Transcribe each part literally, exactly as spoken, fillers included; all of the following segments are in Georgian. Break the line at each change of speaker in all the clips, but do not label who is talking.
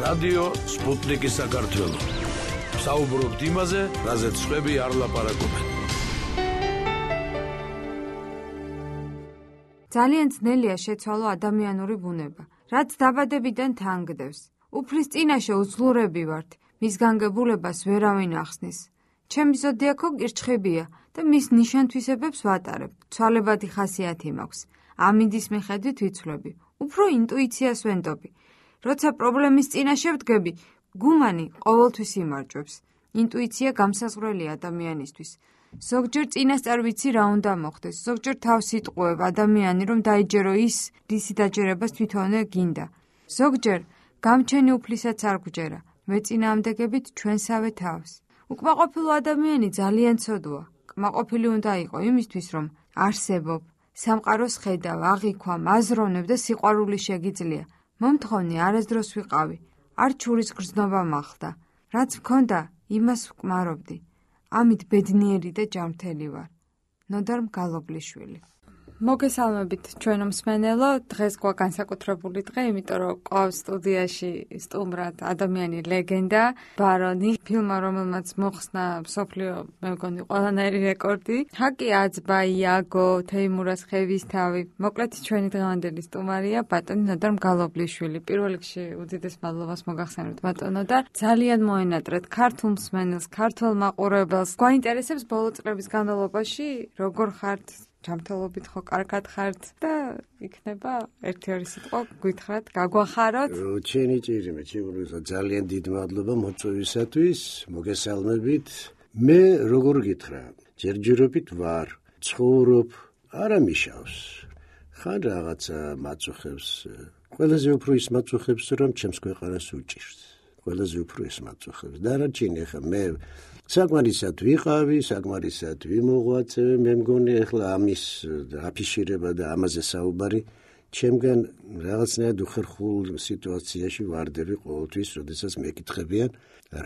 რადიო სპუტნიკი საქართველო. საუბრობთ იმაზე, რაზეც სხვები არ ლაპარაკობენ.
ძალიან ძნელია შეცვალო ადამიანური ბუნება, რაც დაბადებიდან თანგდევს. უფლის წინაშე უძლურები ვართ, მის განგებულებას ვერავინ ახსნის. ჩემი ზოდიაქო კირჩხებია და მის ნიშან-თვისებებს ვატარებ. ცვალებადი ხასიათი მაქვს. ამინდის მიხედვით ვიცვლები. უფრო ინტუიციას ვენდობი. როცა პრობლემის წინაშე ვდგები, გუმანი ყოველთვის იმარჯვებს. ინტუიცია გამსაზღვრელი ადამიანისთვის. ზოგჯერ წინასწარ ვიცი რა უნდა მოხდეს, ზოგჯერ თავს იტყუებ ადამიანი რომ დაიჯერო ის, რისი დაჯერებას თვითონე გინდა. ზოგჯერ გამჩენი უფლისაც არ გვჯერა, მეწინააღმდეგებით ჩვენსავე თავს. უკმაყოფილო ადამიანი ძალიან ცოდვაა. კმაყოფილი უნდა იყო იმისთვის, რომ არსებობ, სამყაროს ხედავ, აღიქვამ, აზროვნებ და სიყვარული შეგიძლია. მომთხოვნი არასდროს ვიყავი, არ ჩურის გრძნობა მახლდა. რაც მქონდა, იმას ვკმარობდი. ამით ბედნიერი და ჯანმრთელი ვარ. ნოდარ მგალობლიშვილი. მოგესალმებით ჩვენო მსმენელო, დღეს გვა განსაკუთრებული დღე, იმიტომ რომ ყავს სტუდიაში სტუმრად ადამიანი ლეგენდა, ბარონი, ფილმმა რომელმაც მოხსნა მსოფლიო, მე მგონი ყველანაირი რეკორდი. ჰაკი აძბა, იაგო, თეიმურას ხევისთავი. მოკლედ ჩვენი დღევანდელი სტუმარია ბატონი ნოდარ მგალობლიშვილი. პირველ რიგში უდიდეს მადლობას მოგახსენებთ ბატონო და ძალიან მოენატრეთ ქართულ მსმენელს, ქართველ მაყურებელს. გვაინტერესებს ბოლო წლების განმავლობაში როგორ ხართ? ჯანმრთელობით ხო კარგად ხართ და იქნება ერთი ორი სიტყვა გითხრათ, გაგვახაროთ.
ჩვენი ჭირიმე, ჩემურისა ძალიან დიდ მადლობა მოწვევისათვის, მოგესალმებით. მე როგორ გითხრა, ჯერჯერობით ვარ, ცხოვრობ, არა მიშავს. ხან რაღაცა მაწუხებს, ყველაზე უფრო ის მაწუხებს, რომ ჩემს ქვეყანას უჭირს. ყველაზე უფრო ის მაწუხებს. დანარჩენი ხა მე საკმარისად ვიყავი, საკმარისად ვიმოღვაწე, მე მგონი ახლა ამის აფიშირება და ამაზე საუბარი ჩემგან რაღაცნაირად უხერხულ სიტუაციაში ვარდები ყოველთვის, როდესაც მეკითხებიან,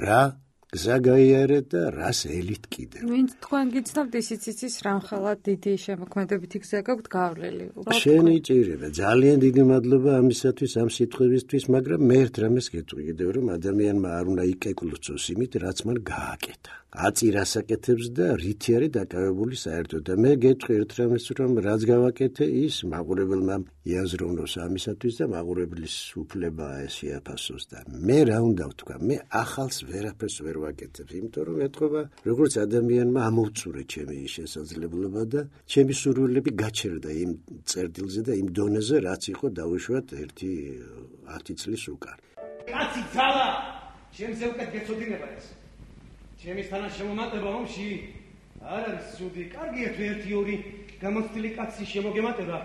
რა გზა გაიარეთ და რას ელით კიდევ.
ვინც თქვენ გიცნობთ, ისიც იცის რამხელა დიდი შემოქმედებითი გზა გაქვთ გავლილი.
შენი ჭირება, ძალიან დიდი მადლობა ამისათვის, ამ სიტყვებისთვის, მაგრამ მე ერთ რამეს გეტყვი კიდევ, რომ ადამიანმა არ უნდა იკეკლუცოს იმით, რაც მან გააკეთა. აწირას აკეთებს და რითი არის დაკავებული საერთოდ. და მე გეტყვი ერთ რამეს, რომ რაც გავაკეთე, ის მაყურებელმა იაზროვნოს ამისათვის და მაყურებლის უფლებაა ეს შეაფასოს და მე რა უნდა ვთქვა, მე ახალს ვერაფერს ვერ ვაკეთებ, იმიტომ რომ ეთქობა, როგორც ადამიანმა ამოვწურე ჩემი შესაძლებლობა და ჩემი სურვილები გაჩერდა იმ წერტილზე და იმ დონეზე, რაც იყო დაუშვათ ერთი ათი წლის უკან.
კაცი ძალა, ჩემზე უკეთ გეცოდინება ეს. ჩემის თანაშემომატება ომში არ არის სუდი. კარგია თუ ერთი ორი გამოცდილი კაცი შემოგემატება.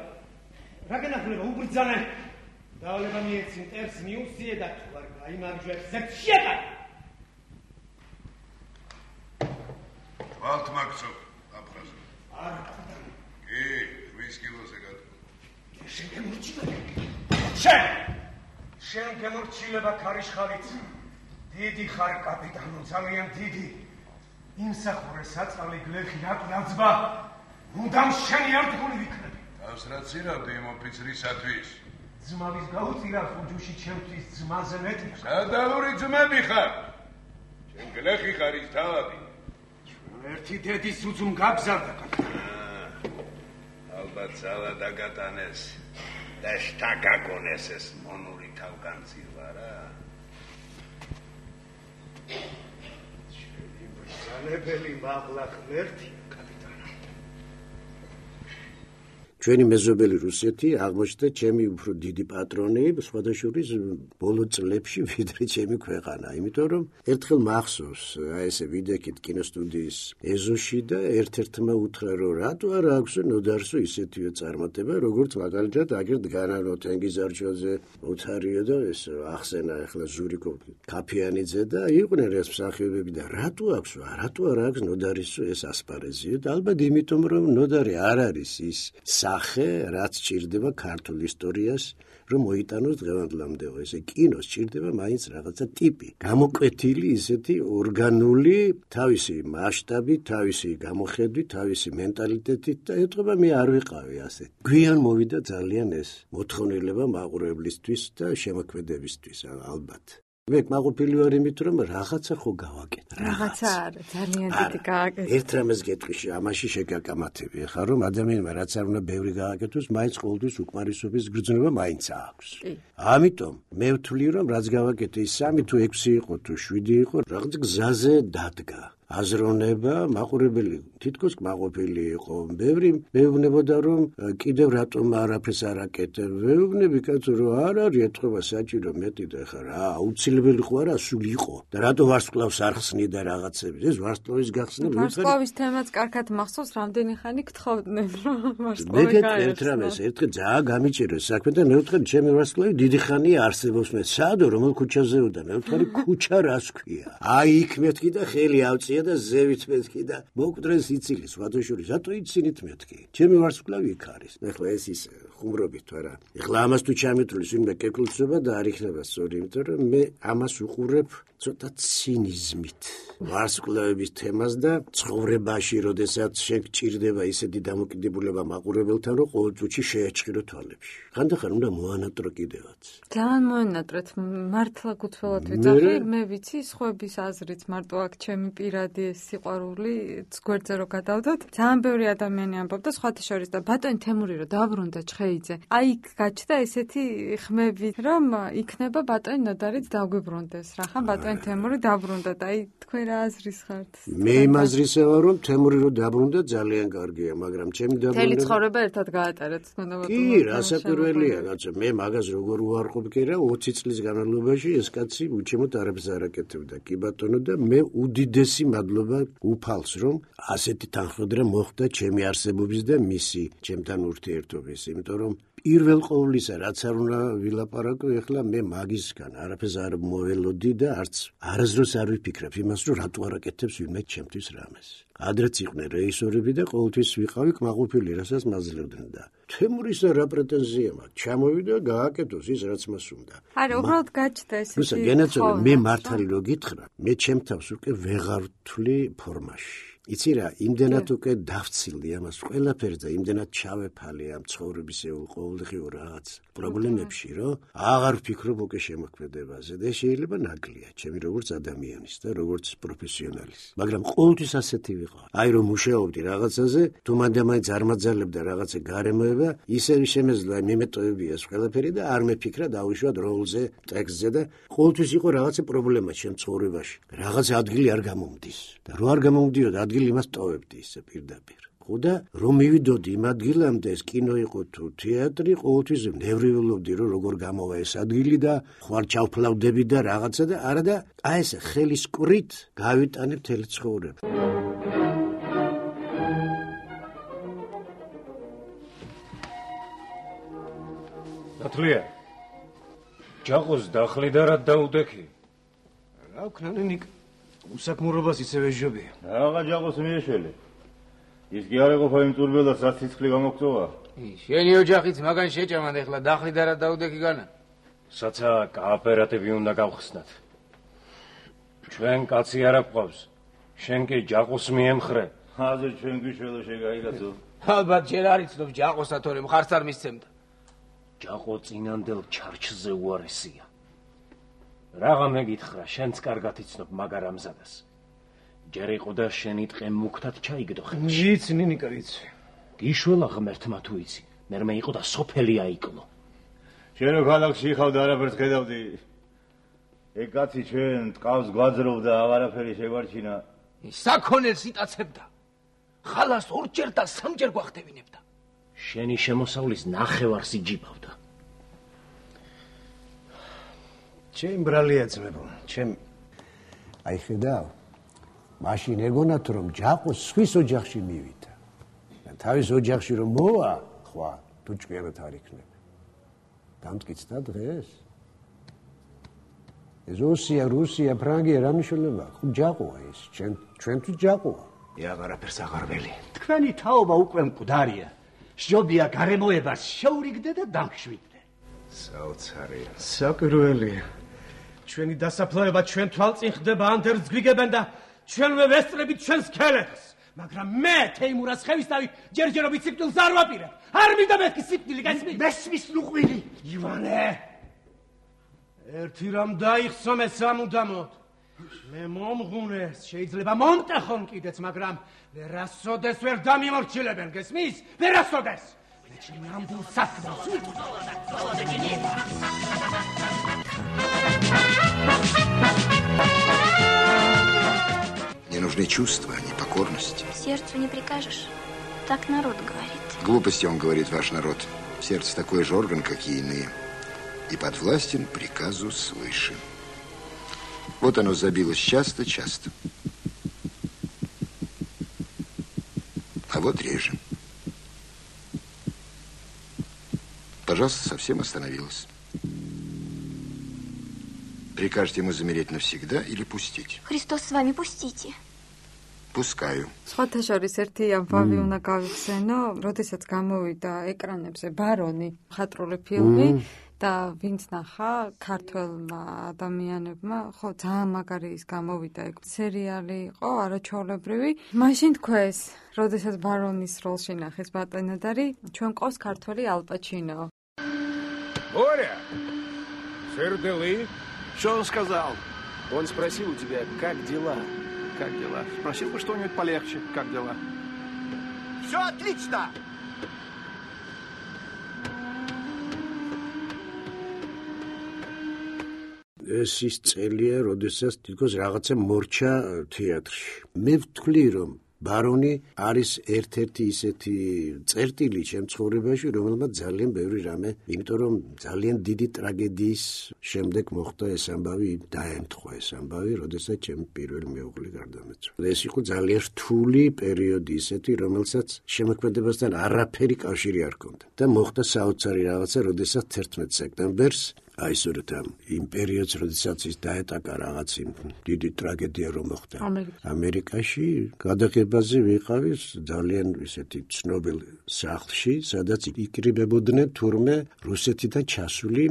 რა გენახულება, უბრძანე. დავალება მიეცი, მტერს მიუსიე და თუ არ გაიმარჯვებს, ზეთ შეყარ.
ვალთ მაგცობ, აფხაზო.
არ.
კი, ვის კილოზე გატო.
შენ გემორჩილება. შენ! შენ გემორჩილება ქარიშხალით. დიდი ხარ კაპიტანო, ძალიან დიდი. იმსახურე საწყალი გლეხი რაკი აძბა. მუდამ შენი არდგული ვიქნები.
თავს რა ცირავდი იმ ოფიცრისათვის?
ძმავის გაუწირავს უჯუში ჩემთვის ძმაზე მეტი.
სადავური ძმები ხარ. შენ გლეხი ხარ ის თავადი.
ერთი დედის უძუნ გაგზავნა კაპიტანო.
ალბათ ძალა დაგატანეს და შტაგაგონეს ეს მონური თავგანწირვა რა.
შენი მბრძანებელი მაღლა ღმერთია, კაპიტანო.
ჩვენი მეზობელი რუსეთი აღმოჩნდა ჩემი უფრო დიდი პატრონი, სხვადასხვა ბოლო წლებში ვიდრე ჩემი ქვეყანა, იმიტომ რომ ერთხელ მახსოვს, აი ესე ვიდექით კინოსტუდიის ეზოში და ერთ-ერთმა უთხრა, რომ რატო არ აქვს ნოდარსო ისეთივე წარმატება, როგორც მაგალითად აგერ დგანანო თენგიზარჩოზე, ოთარიო და ეს ახსენა ახლა ზურიკო კაფიანიძე და იყვნენ ეს მსახიობები და რატო აქვს, რატო არ აქვს ნოდარისო ეს ასპარეზიო და ალბათ იმიტომ რომ ნოდარი არ არის ის სახე, რაც ჭირდება ქართულ ისტორიას, რომ მოიტანოს დღევანდლამდეო. ესე კინოს ჭირდება მაინც რაღაცა ტიპი. გამოკვეთილი ისეთი ორგანული, თავისი მასშტაბით, თავისი გამოხედვით, თავისი მენტალიტეტით და ეთქობა მე არ ვიყავი ასე. გვიან მოვიდა ძალიან ეს მოთხოვნილება მაყურებლისთვის და შემოქმედებისთვის ალბათ. მე კმაყოფილი ვარ იმით, რომ რაღაცა ხო გავაკეთე.
რაღაცა არა, ძალიან დიდი გააკეთე.
ერთ რამეს გეტყვი, ამაში შეგაკამათები, ხა რომ ადამიანმა რაც არ უნდა ბევრი გააკეთოს, მაინც ყოველთვის უკმარისობის გრძნობა მაინც აქვს. ამიტომ მე ვთვლი, რომ რაც გავაკეთე, ის სამი თუ ექვსი იყო თუ შვიდი იყო, რაღაც გზაზე დადგა. აზროვნება მაყურებელი თითქოს კმაყოფილი იყო. ბევრი მეუბნებოდა რომ კიდევ რატომ არაფერს არ აკეთებ. მეუბნები კაცო რომ არ არის ეთქობა საჭირო მეტი და ხა რა აუცილებელი ხო არა სულ იყო და რატო ვარსკვლავს არ ხსნი და რაღაცები. ეს ვარსკვლავის გახსნა
ვარსკვლავის თემაც კარგად მახსოვს, რამდენი ხანი გთხოვდნენ რომ
მე
ვარსკვლავი
გეტყვი ერთ რამეს, ერთხელ ძალიან გამიჭირეს საქმე და მე ვთქვი ჩემი ვარსკვლავი დიდი ხანია არსებობს. მე საადო რომელ ქუჩაზე ვდა მე ვთქვი ქუჩა რას ქვია. აი იქ მეთქი და ხელი ავწია და ზევით მეთქი და მოკდრეს იცილი სხვადასხვა რატო იცინით მეთქი ჩემი ვარსკვლავი იქ არის ეხლა ეს ის ხუმრობით არა ეხლა ამას თუ ჩამეთulis ვინმე კეკლუცება და არ იქნება სწორი იმიტომ რომ მე ამას უყურებ ცოტა ცინიზმით ვარსკვლავების თემას და ცხოვრებაში როდესაც შენ გჭირდება ისეთი დამოკიდებულება მაყურებელთან რომ ყოველ წუთში შეეჭყირო თვალებში ხანდახან უნდა მოანატრო კიდევაც
ძალიან მოანატრეთ მართლა გუთველად ვიძახი მე ვიცი სხვების აზრით მარტო აქ ჩემი პირადი სიყვარული გვერდზე რო გადავდოთ ძალიან ბევრი ადამიანი ამბობდა სხვათა შორის და ბატონი თემური რო დაბრუნდა ჩხეიძე აი იქ გაჩნდა ესეთი ხმები რომ იქნება ბატონი ნოდარიც დაგვიბრუნდეს რახან ბატონი თემური დაბრუნდა და აი თქვენ რა აზრის ხართ
მე იმ აზრისა ვარ რომ თემური რო დაბრუნდა ძალიან კარგია მაგრამ ჩემი დაბრუნდა
თელი ცხოვრება ერთად გაატარეთ თქვენ და
კი რასაკვირველია კაცო მე მაგას როგორ უარყოფ კი რა ოცი წლის განმავლობაში ეს კაცი უჩემოდ არაფერს არ აკეთებდა კი ბატონო და მე უდიდესი მადლობა უფალს რომ ასეთი თანხმდრა მოხდა ჩემი არსებობის და მისი ჩემთან ურთიერთობის იმიტომ რომ პირველ ყოვლისა რაც არ უნდა ვილაპარაკო ეხლა მე მაგისგან არაფერს არ მოველოდი და არც არასდროს არ ვიფიქრებ იმას რომ რატო არ აკეთებს ვინმე ჩემთვის რამეს ადრეც იყვნენ რეჟისორები და ყოველთვის ვიყავი კმაყოფილი რასაც მაძლევდნენ და თემურისა რა პრეტენზია მაქვს ჩამოვიდა გააკეთოს ის რაც მას უნდა
არა უბრალოდ გაჩნდა ესეთი
რუსა გენაცვალე მე მართალი რო გითხრა მე ჩემ თავს უკვე ვეღარ ვთვლი ფორმაში იცი რა იმდენად უკვე დავცილდი ამას ყველაფერს და იმდენად ჩავეფალი ამ ცხოვრებისეულ ყოველდღიურ რაღაც პრობლემებში რომ აღარ ვფიქრობ უკვე შემოქმედებაზე და შეიძლება ნაკლია ჩემი როგორც ადამიანის და როგორც პროფესიონალის მაგრამ ყოველთვის ასეთი ვიყავ აი რომ მუშაობდი რაღაცაზე თუ მანდამაინც არ მაძალებდა რაღაცა გარემოება ისე შემეძლო აი მიმეტოებია ეს ყველაფერი და არ მეფიქრა დავიშვათ როლზე ტექსტზე და ყოველთვის იყო რაღაცა პრობლემა ჩემ ცხოვრებაში რაღაც ადგილი არ გამომდის და რო არ გამომდიოდა ადგილი იმას ტოვებდი ისე პირდაპირ. ხო და რომ მივიდოდი იმ ადგილამდე ეს კინო იყო თუ თეატრი, ყოველთვის ნევრულობდი რომ როგორ გამოვა ეს ადგილი და ხوار ჩავფლავდები და რაღაცა და არა და აი ეს ხელის კვრით გავიტანებ მთელი ცხოვრება.
ნათლია. ჯაყოს დახლი და რა დაუდექი?
რა ვქნანი ნიკ უსაქმურობას ისევ ეჟობია.
რაღა ჯაყოს მიეშველე. ის კი არ ეყოფა იმ წურბელას რაც სიცხლე გამოგწოვა.
შენი ოჯახიც მაგან შეჭამან ეხლა დახლი და რა დაუდექი განა.
საცა კოოპერატივი უნდა გავხსნათ. ჩვენ კაცი არ აყავს. შენ კი ჯაყოს მიემხრე. აზე ჩვენ გვიშველო შეგაიგაცო.
ალბათ ჯერ არ იცნობ ჯაყოსა თორე მხარს არ მისცემდა.
ჯაყო წინანდელ ჩარჩზე უარესია. რაღა მეკითხრა, შენც კარგად იცნობ მაგარ ამზადას. ჯერ იყო და შენი ტყე მუქთად ჩაიგდო ხელში.
ვიცი, ნინიკა, ვიცი.
გიშველა ღმერთმა თუ იცი, მერმე იყო და სოფელი აიკლო.
შენ რო ქალაქში ხავდა არაფერს ხედავდი. ეგ კაცი ჩვენ ტყავს გვაძრობდა, აღარაფერი შეგვარჩინა.
საქონელს იტაცებდა. ხალას ორჯერ და სამჯერ გვახტევინებდა.
შენი შემოსავლის ნახევარს იჯიბავდა.
ჩემ ბრალია ძმებო, ჩემ
აი ხედავ მაშინ ეგონათ რომ ჯაყო სხვის ოჯახში მივიდა და თავის ოჯახში რომ მოვა ხვა თუ ჭკვიანად არ იქნება დამტკიცდა დღეს ეს რუსია რუსია ფრანგია რა მნიშვნელობა ხო ჯაყოა ეს ჩვენ ჩვენთვის ჯაყოა
აღარაფერს აღარ ველი თქვენი თაობა უკვე მკვდარია შობია გარემოებას შეურიგდე და დამშვიდდე საოცარია საკვირველია ჩვენი დასაფლავება ჩვენ თვალწინ ხდება ანდერს გვიგებენ და ჩვენვე ვესწრებით ჩვენს ქელებს მაგრამ მე თეიმურას ხევისთავით ჯერჯერობით სიკვდილს არ ვაპირებ არ მინდა მეთქი სიკვდილი გასმის მესმის ლუყვილი ივანე ერთი რამ დაიხსო მე სამუდამოდ. მე მომღუნეს, შეიძლება მომტეხონ კიდეც, მაგრამ ვერასოდეს ვერ დამიმორჩილებენ, გესმის? ვერასოდეს. მე ჩემი ნამდვილ საქმეს ვიტყვი.
Мне нужны чувства, а не покорность.
Сердцу не прикажешь. Так народ говорит.
Глупости, он говорит, ваш народ. Сердце такой же орган, как и иные. И подвластен приказу свыше. Вот оно забилось часто-часто. А вот реже. Пожалуйста, совсем остановилось. Прикажете ему замереть навсегда или пустить?
Христос с вами, пустите.
Пускаю.
სხვათა შორის ერთი ამბავი უნდა გავიხსენო, როდესაც გამოვიდა ეკრანებზე ბარონი, მხატვრული ფილმი და ვინც ნახა ქართველმა ადამიანებმა, ხო ძალიან მაგარი ის გამოვიდა ეგ სერიალი იყო, არაჩვეულებრივი. მაშინ თქვეს, როდესაც ბარონის როლში ნახეს ბატონოდარი, ჩვენ ყავს ქართველი ალ პაჩინო.
Боря! Сердели?
Что он сказал? Он спросил у тебя, как дела? Как дела? Спросил бы что-нибудь полегче. Как дела?
Все отлично!
ეს ის წელია, როდესაც თითქოს რაღაცა მორჩა თეატრში. მე ვთვლი, რომ ბარონი არის ერთ-ერთი ისეთი წერტილი ჩემ ცხოვრებაში, რომელმაც ძალიან ბევრი რამე, იმიტომ რომ ძალიან დიდი ტრაგედიის შემდეგ მოხდა ეს ამბავი, დაემთხვა ეს ამბავი, როდესაც ჩემი პირველი მეუღლე გარდამეცვა. ეს იყო ძალიან რთული პერიოდი ისეთი, რომელსაც შემოქმედებასთან არაფერი კავშირი არ ჰქონდა. და მოხდა საოცარი რაღაცა, როდესაც თერთმეტ სექტემბერს აი სწორედ ამ იმ პერიოდს, როდესაც ის დაეტაკა რაღაც იმ დიდი ტრაგედია რომ მოხდა ამერიკაში, გადაღებაზე ვიყავი ძალიან ისეთი ცნობილ სახლში, სადაც იკრიბებოდნენ თურმე რუსეთიდან ჩასული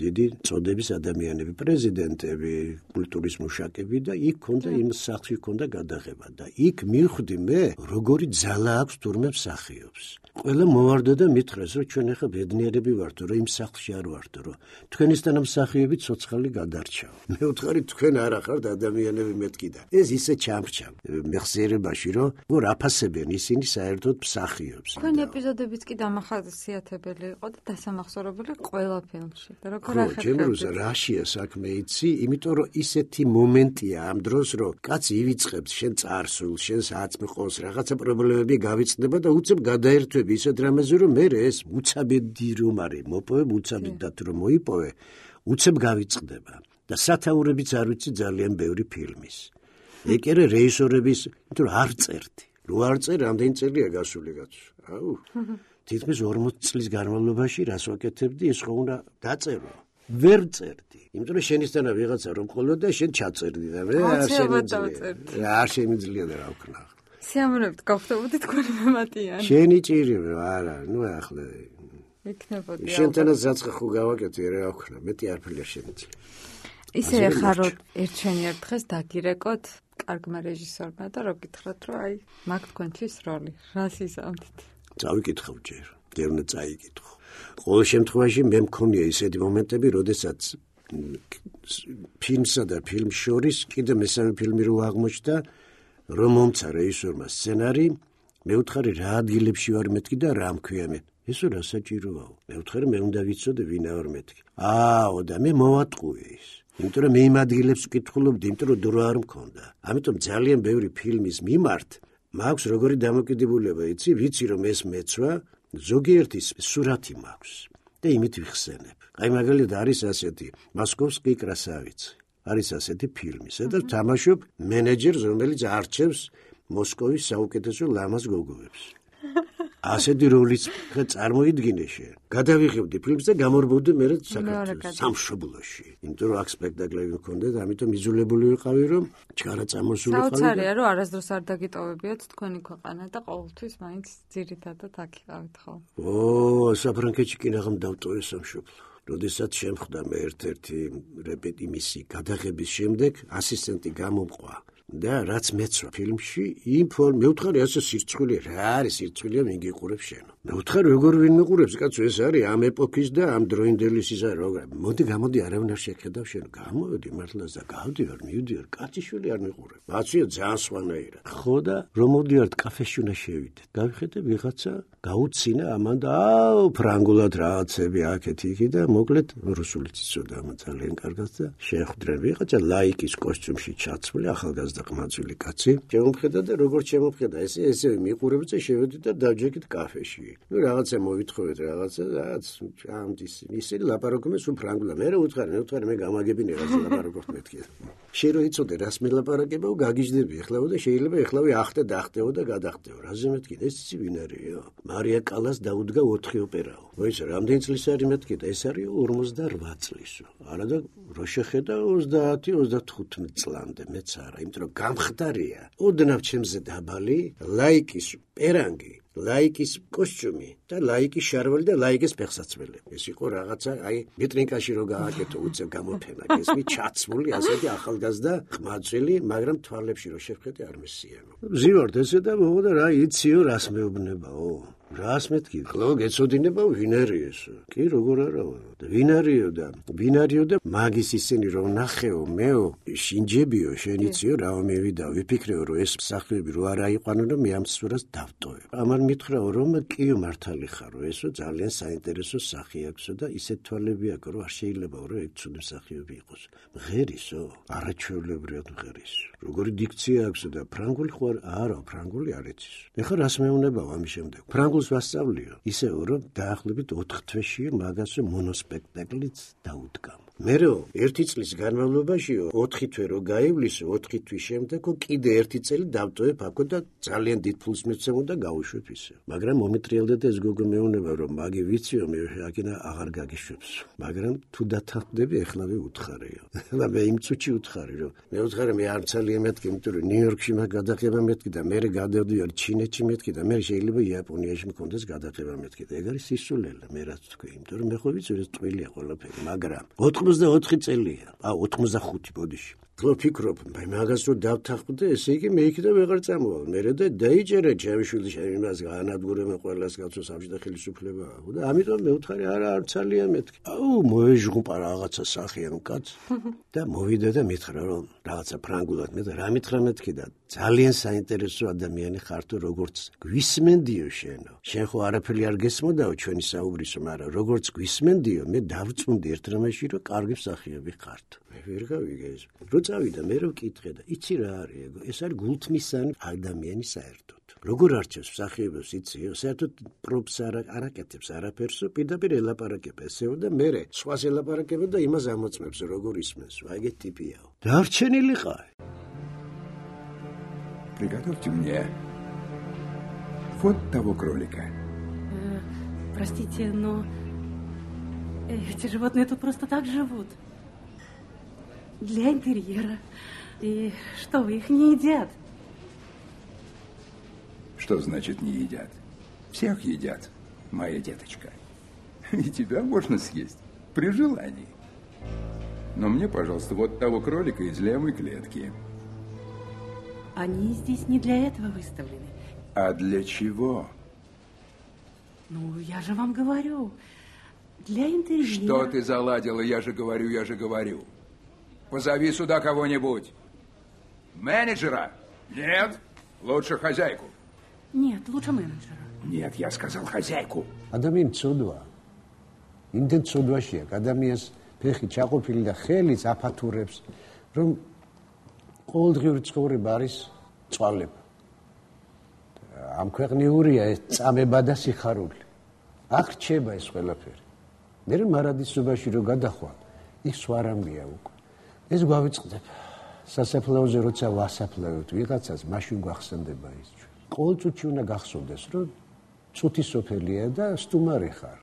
დიდი წოდების ადამიანები, პრეზიდენტები, კულტურის მუშაკები და იქ ქონდა იმ სახლში ქონდა გადაღება და იქ მივხვდი მე, როგორი ძალა აქვს თურმე მსახიობს. ყველა მოვარდა და მითხრეს, რომ ჩვენ ახლა ბედნიერები ვართ, რომ იმ სახლში არ ვართ, რომ თქვენისთანა მსახიობი ცოცხალი გადარჩა. მე ვთხარი თქვენ არა ხართ ადამიანები მეთქი და ეს ისე ჩამრჩა მეხსიერებაში, რომ გორ აფასებენ ისინი საერთოდ მსახიობს.
თქვენი ეპიზოდებიც კი დამახასიათებელი იყო და დასამახსოვრებელი ყველა ფილმში. და როგორ
ახერხებთ? ჩემს რაშია საქმე იცი, იმიტომ რომ ისეთი მომენტია ამ დროს, რომ კაცი ივიწყებს შენ წარსულს, შენ საწმყოს, რაღაცა პრობლემები გავიწყდება და უცებ გადაერთვე ისეთ რამეზე, რომ მე ეს უცაბედი რომ არის, მოპოვე უცაბედად რომ მოიპოვე, უცებ გავიწყდება და სათაურებიც არ ვიცი ძალიან ბევრი ფილმის. ეკერე რეჟისორების, იმიტომ რომ არ წერდი. რო არ წერ, რამდენი წელია გასული კაცო. აუ. თითქმის ორმოცი წლის განმავლობაში რას ვაკეთებდი, ეს ხო უნდა დაწერო. ვერ წერდი. იმიტომ რომ შენისთანა ვიღაცა რომ ყოლოდა, შენ ჩაწერდი და მე არ შემიძლია. არ შემიძლია და რა ვქნა.
სიამოვნებით გავხდებოდი თქვენი მემატიანი.
შენი ჭირი არა, ნუ ახლა
იქნებოდი.
შენთანაც რაცხა ხო გავაკეთე რა ვქნა, მეტი არაფერი არ შემიძლია.
ისე ხარო ერთჩენიერ დღეს დაგირეკოთ კარგმა რეჟისორმა და რო გითხრათ, რომ აი, მაგ თქვენთვის როლი, რას იზამთით?
წავიკითხავ ჯერ, ჯერ უნდა წაიკითხო. ყოველ შემთხვევაში მე მქონია ისეთი მომენტები, როდესაც ფილმსა და ფილმს შორის კიდე მესამე ფილმი რო აღმოჩნდა, რომ მომცა რეჟისორმა სცენარი, მე ვთხარი რა ადგილებში ვარ მეთქი და რა მქვია მე. ესო რა საჭიროა? მე ვთხარი მე უნდა ვიცოდე ვინ ვარ მეთქი. ააო და მე მოვატყუე ის. იმიტომ რომ მე იმ ადგილებს ვკითხულობდი, იმიტომ რომ დრო არ მქონდა. ამიტომ ძალიან ბევრი ფილმის მიმართ მაქვს როგორი დამოკიდებულება, იცი, ვიცი რომ ეს მეცვა, ზოგიერთის სურათი მაქვს და იმით ვიხსენებ. აი მაგალითად არის ასეთი მოსკოვსკი კრასავიცი. არის ასეთი ფილმი, სადაც თამაშობ მენეჯერს, რომელიც არჩევს მოსკოვის საუკეთესო ლამაზ გოგოებს. ასეთი როლიც წარმოიდგინე შენ. გადავიღებდი ფილმს და გამორბოდდი მე საქართველოს სამშობლოში. იმიტომ რომ აქ სპექტაკლები მქონდა და ამიტომ იზოლებული ვიყავი, რომ ჩარა წამოსული
ყავი. საოცარია, რომ არასდროს არ დაგიტოვებიათ თქვენი ქვეყანა და ყოველთვის მაინც ძირითადად აქ იყავით ხო?
ო, საფრანგეთში კი ნახამ დავტოვე სამშობლო. როდესაც შემხვდა მე ერთ-ერთი რეპეტიმისი გადაღების შემდეგ ასისტენტი გამომყვა. და რაც მეცვა ფილმში, იმ ფორმ მეუთხარი ასე სირცხვილი რა არის სირცხვილია ვინ გიყურებს შენ. მეუთხარი როგორ ვინ მიყურებს კაცო ეს არის ამ ეპოქის და ამ დროინდელის ისა როგორ. მოდი გამოდი არავინ არ შეხედავ შენ. გამოვედი მართლაც და გავდივარ, მივდივარ, კაციშვილი არ მიყურებ. აცია ძალიან სვანაირად. ხო და რომ მოდივართ კაფეში უნდა შევიდეთ. გავიხედე ვიღაცა გაუცინა ამან და აუ ფრანგულად რაღაცები აქეთ იქი და მოკლედ რუსულიც იცოდა ამ ძალიან კარგად და შეხვდრენ ვიღაცა ლაიკის კოსტიუმში ჩაცმული ახალგაზრდა ყმაწვილი კაცი. შემომხედა და როგორც შემომხედა ესე ესე მიყურებს და შევედი და დავჯექით კაფეში. ნუ რაღაცა მოვითხოვეთ რაღაცა რაც ამდის ისინი ლაპარაკობენ სულ ფრანგულად. მე რა უთხარი, მე უთხარი მე გამაგებინე რაღაცა ლაპარაკობთ მეთქი. შენ რო იცოდე რას მელაპარაკებო გაგიჟდები ეხლაო და შეიძლება ეხლავე ახტე დახტეო და გადახტეო. რაზე მეთქი ეს იცი ვინ არისო? მარია კალას დაუდგა ოთხი ოპერაო. მოიცა რამდენი წლის არის მეთქი და ეს არის ორმოცდარვა წლისო. არა და რო შეხედა ოცდაათი ოცდათხუთმეტ წლამდე მეც არა, იმიტომ რომ გამხდარია. ოდნავ ჩემზე დაბალი ლაიკის პერანგი ლაიკის კოსტიუმი და ლაიკის შარველი და ლაიკის ფეხსაცმელი. ეს იყო რაღაცა აი ვიტრინკაში რო გააკეთო უცებ გამოფენა. ეს მი ჩაცმული ასეთი ახალგაზრდა ყმაწვილი, მაგრამ თვალებში რო შევხედე არ მესიამო. ზივართ ესე და მოვიდა რა იციო რას მეუბნებაო. რას მეთქი? ხლო გეცოდინებაო ვინ არის ეს? კი როგორ არაო? და ვინ არისო და ვინ არისო და მაგის ისინი რომ ნახეო მეო შინჯებიო შენ იციო რა მევიდა ვიფიქრეო რომ ეს მსახიობი რო არ აიყვანო რომ მე ამ სურათს დავტოვებ. ამან მითხრაო რომ კიო მართალი ხარო ესო ძალიან საინტერესო სახე აქვსო და ისეთ თვალები აქვს რომ არ შეიძლებაო რომ ეგ ცუდი მსახიობი იყოს. მღერისო? არაჩვეულებრივად მღერის. როგორი დიქცია აქვსო და ფრანგული ხო არა ფრანგული არ იცის. ეხლა რას მეუბნებაო ამის შემდეგ? ფრანგულს ვასწავლიო. ისეო რომ დაახლოებით ოთხ თვეში მაგასო მონოსპექტაკლიც დაუდგა. მერეო ერთი წლის განმავლობაშიო ოთხი თვე რო გაივლისო ოთხი თვის შემდეგო კიდე ერთი წელი დავტოვებ აქო და ძალიან დიდ ფულს მიცემო და გავუშვებ ისე. მაგრამ მომეტრიალდა და ეს გოგო მეუბნება რომ მაგი ვიციო მე აქინა აღარ გაგიშვებს. მაგრამ თუ დათანხმდები ეხლავე უთხარეო. და მე იმ წუთში უთხარი რომ მე უთხარი მე არ ძალიან მეთქი იმიტომ რომ ნიუ-იორკში მაგ გადაღება მეთქი და მე გადავდივარ ჩინეთში მეთქი და მე შეიძლება იაპონიაში მქონდეს გადაღება მეთქი და ეგ არის სისულელე მე რაც თქვი იმიტომ რომ მე ხო ვიცი ეს ტყილია ყველაფერი მაგრამ ოცდაოთხი წელია. ა ოცდახუთი ბოდიში. ხო ფიქრობ, მე მაგას რო დავთანხმდე, ესე იგი მე იქიდან ვეღარ წამოვალ. მე და დაიჭერე ჩემშვილი იმას განადგურებენ ყველას კაცო სამშთა ხელისუფლება. და ამიტომ მე ვთხარი არა არ ძალიან მეთქი. აუ მოეჟღუპა რაღაცა სახე ამ კაც და მოვიდა და მითხრა რომ რაღაცა ფრანგულად მე და რა მითხრა მეთქი და ძალიან საინტერესო ადამიანი ხარ თუ როგორც გვისმენდიო შენო. შენ ხო არაფერი არ გესმოდაო ჩვენი საუბრისო, მაგრამ როგორც გვისმენდიო მე დავწუნდი ერთ რამეში რომ კარგი მსახიობი ხართ. მე ვერ გავიგე ეს. რო წავიდა მე რო ვკითხე და იცი რა არის ეგ? ეს არის გულთმისანი ადამიანი საერთოდ. როგორ არჩევს მსახიობს იციო? საერთოდ პრობს არ არაკეთებს არაფერსო, პირდაპირ ელაპარაკება ესეო და მე სხვას ელაპარაკება და იმას ამოწმებს როგორ ისმენს. ეგეთ ტიპიაო. დარჩენილი ხარ.
Приготовьте мне вот того кролика.
Э, простите, но эти животные тут просто так живут. Для интерьера. И что, вы их не едят?
Что значит не едят? Всех едят, моя деточка. И тебя можно съесть при желании. Но мне, пожалуйста, вот того кролика из левой клетки.
Они здесь не для этого выставлены.
А для чего?
Ну, я же вам говорю. Для интерьера.
Что ты заладила? Я же говорю, я же говорю. Позови сюда кого-нибудь. Менеджера? Нет. Лучше хозяйку.
Нет, лучше менеджера.
Нет, я сказал хозяйку.
ადამიანი ცოდვა. იმდენ ცოდვაშია, ადამიანს ფეხი ჩაყოფილი და ხელიც აფათურებს, რომ ყოველდღიური ცხოვრება არის წვალება. ამ ქვეყნიურია ეს წამება და სიხარული. აქ რჩება ეს ყველაფერი. მე მარადისობაში რო გადახვალ, ის სვარამია უკვე. ეს გვავიწყდება. სასაფლაოზე როცა ვასაფლავებთ ვიღაცას, მაშინ გვახსენდება ის. ყოველ წუთში უნდა გახსოვდეს, რომ წუთი სოფელია და სტუმარი ხარ.